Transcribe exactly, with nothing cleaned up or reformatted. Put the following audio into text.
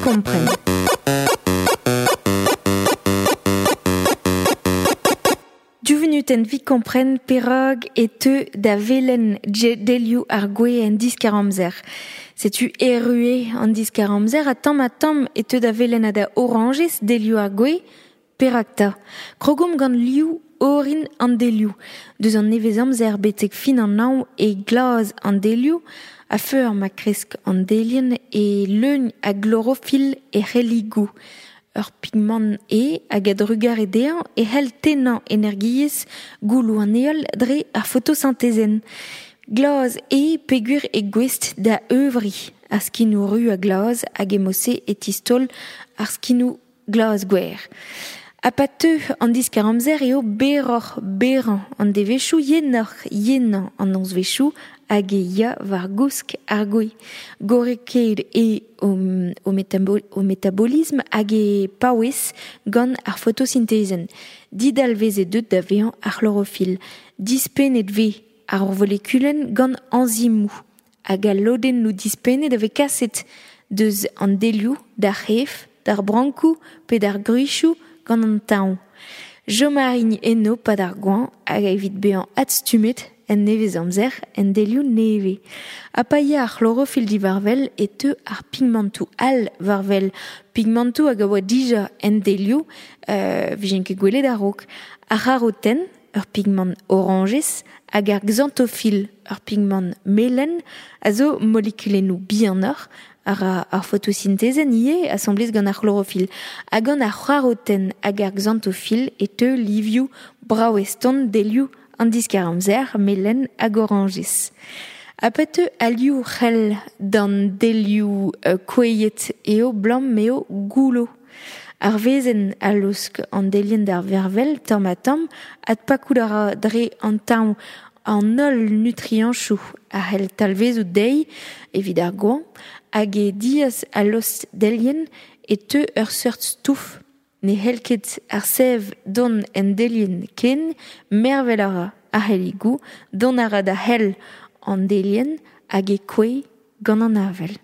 kompren. Div vunutenn evit kompren perak e teu da velen delioù ar gwez en diskar-amzer. Setu erru eo an diskar-amzer ha tamm-ha-tamm e teu da velen ha da orañjez delioù ar gwez, perak 'ta. Krogomp gant liv orin an delioù. Deus an nevez-amzer betek fin an hañv e glas an delioù, a-feur ma kresk an delienn e leugn a glorofil e c'helligoù. Ur pigment eo hag a-drugarez dezhañ e c'hell tennañ energiezh gouloù an heol dre ar fotosintezenn. Glas eo peogwir eo gouest da euvriñ ar skinoù ruz ha glas hag e-mod-se e tistaol ar skinoù glas-gwer. Ha pa teu an diskar-amzer eo berroc'h berrañ an devezhioù, yenoc'h yenañ an nozvezhioù hag e ya war gousk ar gwez. Gorrekaet eo o, metabol, o metabolism hag e paouez gant ar fotosintezenn. Didalvez eo deuet da vezañ ar c'hlorofil. Dispennet vez ar volekulenn gant enzimoù. Hag al lodennoù dispennet a vez kaset deus an delioù, d'ar c'hef, d'ar brankoù pe d'ar gwrizioù gant an tañv. Chom a rin eno pad ar goañv hag evit bezañ adstummet en nevez-amzer en delioù nevez. Ha pa ya ar c'hlorofil diwar-wel e teu ar pigmentoù all war-wel. Pigmentoù hag a oa dija en delioù, euh, vijent ket gwelet a-raok. Ar c'harotenn, ur pigment orañjez, hag ar xanthofil, ur pigment melen, a zo molekulennoù bihanoc'h ar, ar fotosintezenn ivez asambles gant ar c'hlorofil. Hag gant ar c'harotenn hag ar xanthofil e teu livioù brav-eston delioù an diskar-amzer, melen hag orañjez. Ha pa teu al liv c'hell d'an delioù euh, kouezhet eo 'blam m'eo goullo. Ar wezenn a laosk an delienn d'ar vervel tamm-ha-tamm adpakout a ra dre an tañv an holl nutriantoù a c'hell talvezout dezhi evit ar goañv hag e diaz al lost delienn e teu ur seurt stouf. Ne c'hell ket ar sev dont en delienn ken, mervel a ra ar c'helligoù, dont a ra da c'hell an delienn hag e kouezh gant an avel.